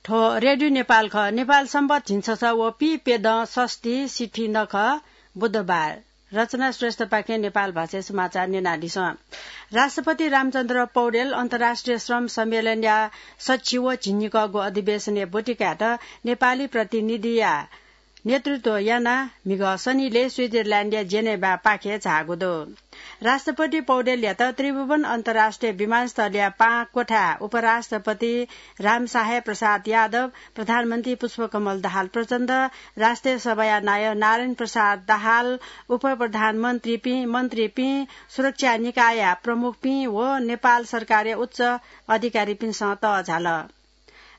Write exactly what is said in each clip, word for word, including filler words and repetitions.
थ्व रेडियो नेपाल खः। नेपाल सम्बत झिंछसः व पीप्यदँ षष्ठी सिथि नखः बुधबार। रचना श्रेष्ठपाखें नेपाल भाषाय् समाचार न्यनादिसँ। राष्ट्रपति रामचन्द्र पौडेल अन्तर्राष्ट्रिय श्रम सम्मेलनया सच्छि व झिंनिकःगु अधिवेशनय् ब्वति कायेत नेपाली प्रतिनिधिया नेतृत्व यानाः म्हिगः शनिलय् स्विजरल्याण्डया जेनेभापाखे झाःगु दु। राष्ट्रपति पौडेलयात त्रिभुवन अन्तर्राष्ट्रिय विमानस्थलया पाहां क्वथाय् उपराष्ट्रपति रामसाहेब प्रसाद यादव, प्रधानमन्त्री पुष्पकमल दाहाल प्रचण्ड, राष्ट्रिय सभाया नायः नारायण प्रसाद दाहाल, उपप्रधानमन्त्रीपिं, मन्त्रीपिं, सुरक्षा निकायया प्रमुखपिं व नेपाल सरकारया उच्च अधिकारीपिन्सं तःझाल।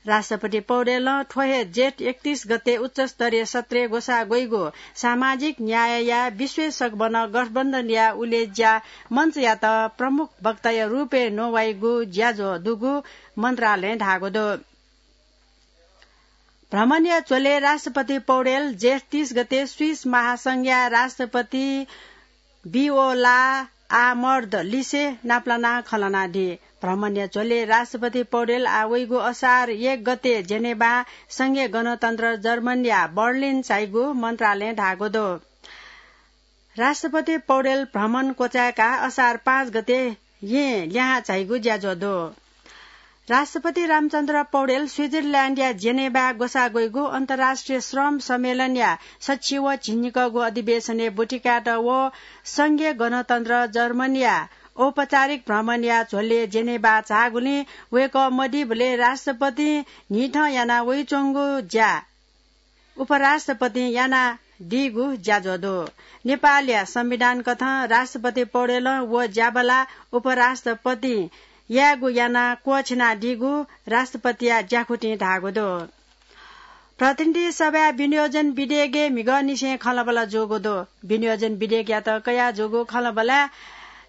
राष्ट्रपति पौडेलं थ्व हे जेठ एकतीस गते उच्चस्तरीय सत्रय् ग्वसाः ग्वइगु सामाजिक न्यायया विश्वेषक वन गठबन्धनया उलेज्या मञ्चयात प्रमुख वक्ताया रूपय् नवाइगु ज्याझ्वः दुगु मन्त्रालयं धाःगु दु। भ्रमणया झ्वलय् राष्ट्रपति पौडेल जेठ तीस गते स्विस महासंघया राष्ट्रपति भिओला आमर्द लिसे नापलानाः खँ ल्हानादी। भ्रमणया झ्वलय् राष्ट्रपति पौडेल आः वइगु असार एक गते जेनेभाय् संघीय गणतन्त्र जर्मनीया बर्लिन झाइगु मन्त्रालयं धाःगु दु। राष्ट्रपति पौडेल भ्रमण क्वचाय्काः असार पाँच गते येँ लिहां झाइगु ज्याझ्वः दु। राष्ट्रपति रामचन्द्र पौडेल स्विजरल्याण्डया जेनेभाय् ग्वसाः ग्वइगु अन्तर्राष्ट्रिय श्रम सम्मेलनया सच्छि व झिंनिकःगु अधिवेशनय् ब्वति कायेत व संघीय गणतन्त्र जर्मनीया औपचारिक भ्रमणया झ्वलय् जेनेभाय् झाःगुलिं वय्कः मदीबलय् राष्ट्रपतिं न्हिथं याना वइच्वंगु ज्या उपराष्ट्रपतिं यानादीगु ज्याझ्वः दु। नेपालया संविधान कथं राष्ट्रपति पौडेलं व ज्याबला उपराष्ट्रपतिं यायेगु यानाः क्वःछिनादीगु राष्ट्रपतिया ज्याखुतिं धाःगु दु। प्रतिनिधि सभाय् विनियोजन विधेयकय् म्हिगःनिसें खँल्हाबल्हा जूगु दु। विनियोजन विधेयकयात कयाः जूगु खँल्हाबल्हाय्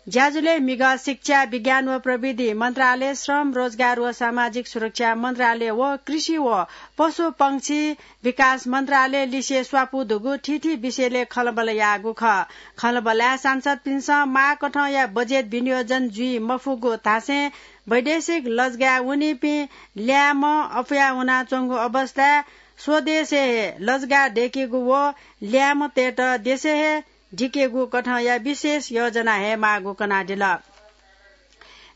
ज्याझ्वलय् म्हिगः शिक्षा, विज्ञान व प्रविधि मन्त्रालय, श्रम, रोजगार व सामाजिक सुरक्षा मन्त्रालय व कृषि व पशुपंक्षी विकास मन्त्रालय लिसे स्वापू दुगु थीथी विषयलय् खँल्हाबल्हा याःगु खः। खँल्हाबल्हाय् सांसदपिन्सं माःकथंया बजेट विनियोजन जुइ मफुगु धासें वैदेशिक लजगाय् वनीपिं ल्याय्म्ह अप्वया वनाच्वंगु अवस्थाय् स्वदेशय् हे लजगाः दय्केगु व ल्याय्म्हतय्त देशय् हे दिकेगु कथंया विशेष योजना हयेमाःगु कनादिल।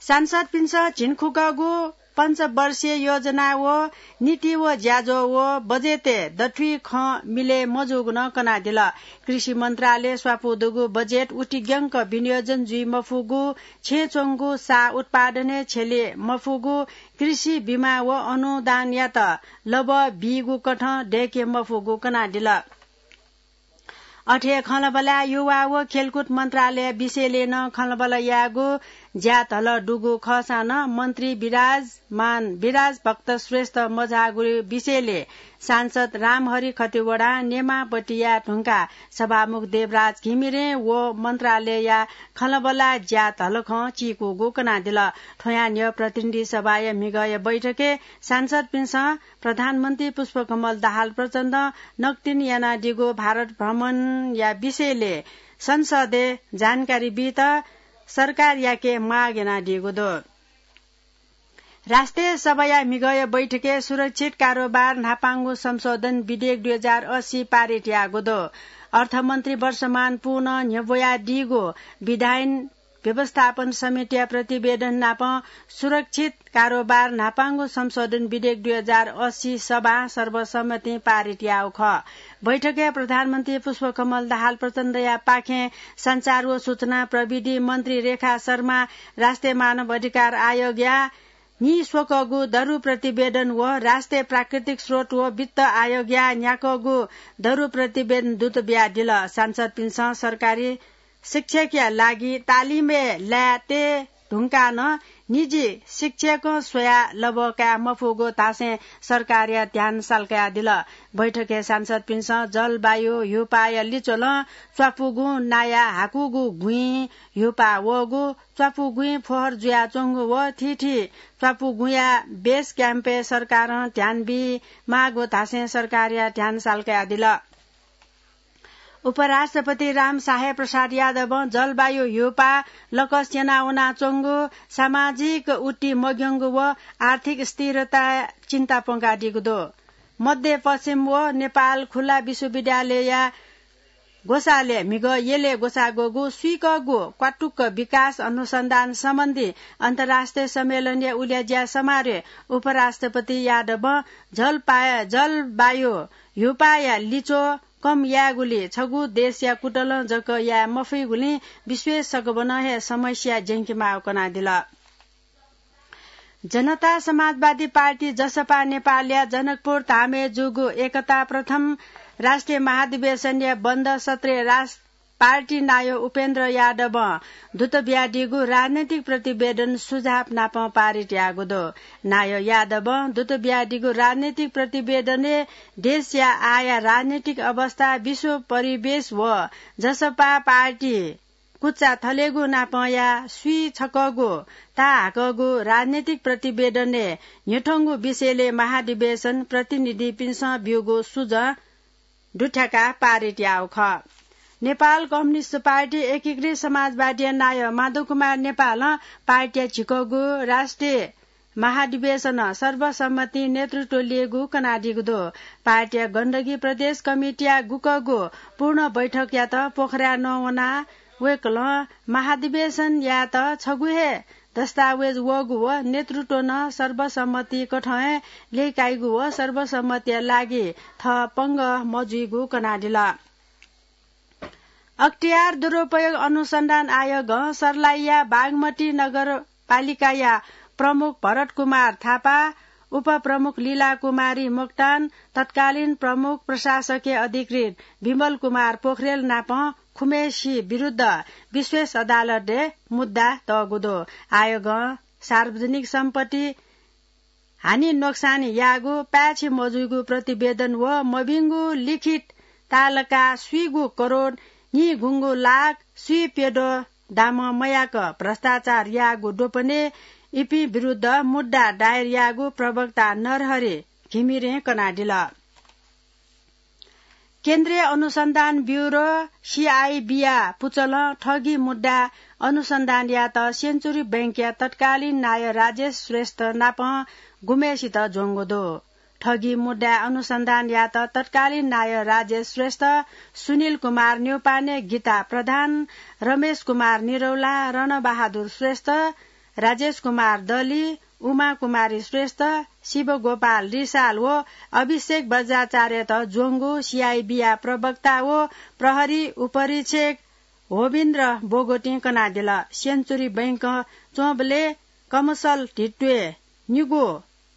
सांसदपिन्सं झिंखुकःगु पञ्चवर्षीय योजना व नीति व ज्याझ्वः व बजेटय् दथुइ खँ मिलय् मजूगु नं कनादिल। कृषि मन्त्रालय स्वापू दुगु बजेट उतिग्यंक विनियोजन जुइ मफुगु, छेँय् च्वंगु सा उत्पादनय् छ्यले मफुगु, कृषि बिमा व अनुदानयात लबः बीगु कथं दय्के मफुगु कनादिल। अथे हे खँल्हाबल्हाय् युवा व खेलकुद मन्त्रालय विषयलय् नं खँल्हाबल्हा यायेगु ज्या धलः दुगु खःसां नं मन्त्री विराजमान विराज भक्त श्रेष्ठ मझाःगु विषयलय् सांसद रामहरि खतिवडां नेमाःपट्टि याये धुंकाः सभामुख देवराज घिमिरें व मन्त्रालयया खँल्हाबल्हा ज्या धलखं चीकूगु कनादिल। थ्वयां न्ह्यः प्रतिनिधि सभाया म्हिगःया बैठकय् सांसदपिन्सं प्रधानमन्त्री पुष्पकमल दाहाल प्रचण्डं नकतिनि यानादीगु भारत भ्रमणया विषयलय् संसदय् जानकारी बीत सरकारयाके माग यानादीगु दु। राष्ट्रिय सभाया म्हिगःया बैठकय् सुरक्षित कारोबार न्हापांगु संशोधन विधेयक दुई हजार अस्सी पारित याःगु दु। अर्थमन्त्री वर्षमान पुनं न्ह्यब्वयादीगु विधायन व्यवस्थापन समितिया प्रतिवेदन नाप सुरक्षित कारोबार न्हापांगु संशोधन विधेयक दुई हजार अस्सी सभां सर्वसम्मतिं पारित याःगु खः। बैठकय् प्रधानमन्त्री पुष्पकमल दाहाल प्रचण्डया पाखें सञ्चार व सूचना प्रविधि मन्त्री रेखा शर्मा, राष्ट्रिय मानव अधिकार आयोगया नीस्वकःगु दरु प्रतिवेदन व राष्ट्रिय प्राकृतिक स्रोत व वित्त आयोगया न्ह्याकःगु दरु प्रतिवेदन दूत बियादिल। सांसदपिन्सं सरकारी शिक्षकया लागि तालिमय् लाये तये धुंकाः नं निजी शिक्षकं स्वयाः लबः काये मफुगु धासें सरकारया ध्यान सालकयादिल। बैठकय् सांसदपिन्सं जलवायु, ह्युपाया लिच्वलं च्वापुगुं नाया हाकुगु गुँइ ह्युपा वःगु, च्वापुगुँइ फोहर जुयाच्वंगु व थीथी च्वापुगुँया बेस क्याम्पय् सरकारं ध्यान बी माःगु धासें सरकारया ध्यान सालकयादिल। उपराष्ट्रपति रामसाहेब प्रसाद यादवं जलवायु ह्यूपाः लकस यनावनाच्वंगु, सामाजिक उति मग्यंगु व आर्थिक स्थिरता चिन्ता प्वंकादीगु दु। मध्य पश्चिम व नेपाल खुल्ला विश्वविद्यालयया ग्वसालय् म्हिगः यलय् ग्वसाः ग्वःगु स्वीकःगु क्वातुक्क विकास अनुसन्धान सम्बन्धी अन्तर्राष्ट्रिय सम्मेलनया उल्याज्या समारोहय् उपराष्ट्रपति यादवं जलपा-, जलवायु ह्यूपाःया लिच्वः कम यायेगुली छगू देशया कुतलं जक याये मफइगुलिं विश्वय् सकभनं हे समस्या ज्यंकेमाःगु कनादिल। जनता समाजवादी पार्टी जसपा नेपालया जनकपुर धामय् जूगु एकता प्रथम राष्ट्रिय महाधिवेशनया बन्द सत्रय् रास-, पार्टी नायः उपेन्द्र यादवं दुत बियादीगु राजनैतिक प्रतिवेदन सुझाव नाप पारित याःगु दु। नायः यादवं दुत बियादीगु राजनैतिक प्रतिवेदनय् देशया आःया राजनैतिक अवस्था, विश्व परिवेश व जसपा पार्टी कुचा थलेगु नापंया स्वीछकःगु ताहाकःगु राजनैतिक प्रतिवेदनय् न्ह्यथंगु विषयलय् महाधिवेशन प्रतिनिधिपिन्सं ब्यूगु सुझं दुथ्याकाः पारित याःगु खः। नेपाल कम्युनिस्ट पार्टी एकीकृत समाजवादीया नायः माधव कुमार नेपालं पार्टीया झिकःगु राष्ट्रिय महाधिवेशनं सर्वसम्मति नेतृत्व ल्ययेगु कनादीगु दु। पार्टीया गण्डकी प्रदेश कमिटीया गुकःगु पूर्ण बैठकयात पोखराया नं वनाः वय्कलं महाधिवेशन यायेत छगू हे दस्तावेज वःगु व नेतृत्व नं सर्वसम्मति कथं हे ल्यय्काइगु व सर्वसम्मतिया लागि थः पंगः मजुइगु कनादिल। अख्तियार दुरुपयोग अनुसन्धान आयोगं सर्लाहीया बागमती नगरपालिकाया प्रमुख भरत कुमार थापा, उपप्रमुख लीला कुमारी मोक्तान, तत्कालीन प्रमुख प्रशासकीय अधिकृत विमल कुमार पोखरेल नाप खुम्हेसित विरुद्ध विश्वेष अदालतय् मुद्दा तःगु दु। आयोगं सार्वजनिक सम्पत्ति हानि नोक्सान याःगु, पाय्छि मजुइगु प्रतिवेदन व मभिंगु लिखित तालका स्वीगू करोड नीगुंगू लाख स्वीप्यद्वः दामं मयाक भ्रष्टाचार याःगु द्वपनय् इपिं विरुद्ध मुद्दा दायर याःगु प्रवक्ता नरहरि घिमिरें कनादिल। केन्द्रीय अनुसन्धान ब्युरो, सीआईबीया पुचलं ठगी मुद्दा अनुसन्धान यायेत सेन्चुरी बैंकया तत्कालीन नायः राजेश श्रेष्ठ नाप गुम्हेसित ज्वंगु दु। ठगी मुद्दा अनुसन्धान यायेत तत्कालीन नायः राजेश श्रेष्ठ, सुनिल कुमार न्यौपाने, गीता प्रधान, रमेश कुमार निरौला, रणबहादुर श्रेष्ठ, राजेश कुमार दली, उमा कुमारी श्रेष्ठ, शिवगोपाल रिसाल व अभिषेक बज्राचार्यत ज्वंगु सीआईबीया प्रवक्ता व प्रहरी उपरीक्षक होविन्द्र बोगोटिं कनादिल। सेन्चुरी बैंकं च्वंबलय् कमसल धित्वय् निगू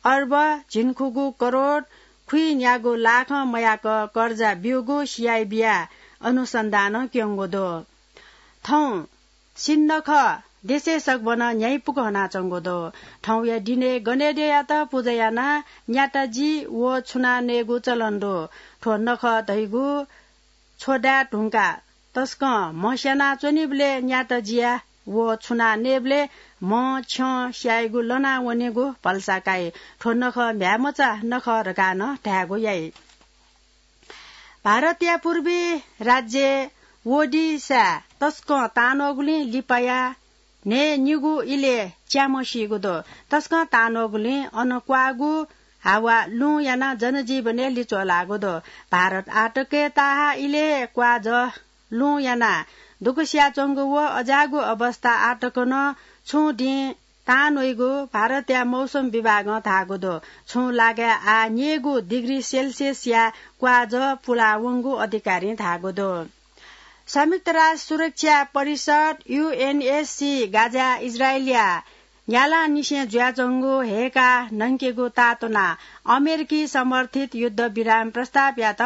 अर्ब झिंखुगू करोड खुइन्यागू लाखं मयाक कर्जा ब्यूगु सीआईबीया अनुसन्धानं क्यंगु दु। थौं सिन्नख देशय् सकभनं न्ह्याइपुक हनाच्वंगु दु। थौंया दिनय् गनेद्यःयात पुजा यानाः न्याता जी व छुना नयेगु चलन दु। थ्व नख धइगु छ्वदाये धुंकाः तसकं म्ह स्यानाच्वनीबलय् न्याता जिया व छुना नयेबलय् म्ह छ्यं स्याइगु लना वनेगु भलसा काइ। थ्व नख म्ह्याय्मचा नख धकाः नं धायेगु याइ। भारतया पूर्वी राज्य ओडिशाय् तसकं तांन्वःगुलिं लिपाया न्हय् निगू इलय् च्याम्ह सीगु दु। तसकं तांन्वःगुलिं अन क्वाःगु हावा लुँ यानाः जनजीवनय् लिच्वः लाःगु दु। भारत आःतकय् ताहाः इलय् क्वाःजः लुँ यानाः दुःख सियाच्वंगु व अज्याःगु अवस्था आःतक नं छुं दिं तांन्वइगु भारतया मौसम विभागं धाःगु दु। छुं लागाय् आः न्यय्गू डिग्री सेल्सियसया क्वाःजः पुलावंगु अधिकारीं धाःगु दु। संयुक्त राष्ट्र सुरक्षा परिषद, यूएनएससी, गाजा इजरायलया न्यालांनिसें जुयाच्वंगु हय्काः नंकेगु तातुनाः अमेरिकी समर्थित युद्ध विराम प्रस्तावयात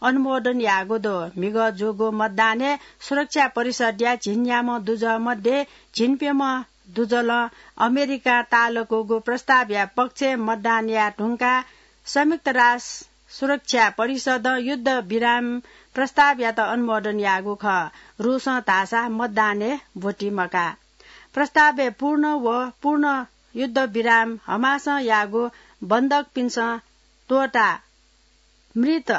अनुमोदन याःगु दु। म्हिगः जूगु मतदानय् सुरक्षा परिषदया झिंन्याम्ह दुजः मध्ये झिंप्यम्ह दुजलं अमेरिकां ताःलाकूगु प्रस्तावया पक्षय् मतदान याये धुंकाः संयुक्त राष्ट्र सुरक्षा परिषदं युद्ध विराम प्रस्तावयात अनुमोदन याःगु खः। रूसं धाःसा मतदानय् ब्वति मकाः। प्रस्तावय् पूर्ण व पूर्ण युद्ध विराम, हमासं याःगु बन्धकपिन्सं त्वःताः मृत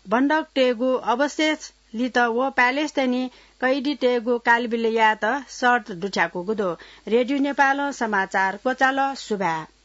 बन्धकतय्गु अवशेष लित व प्यालेसतय् निं कैदीतय्गु कालबिल यायेत शर्त दुथ्याकूगु दु। रेडियो नेपालं समाचार क्वचाल। सुभाय्।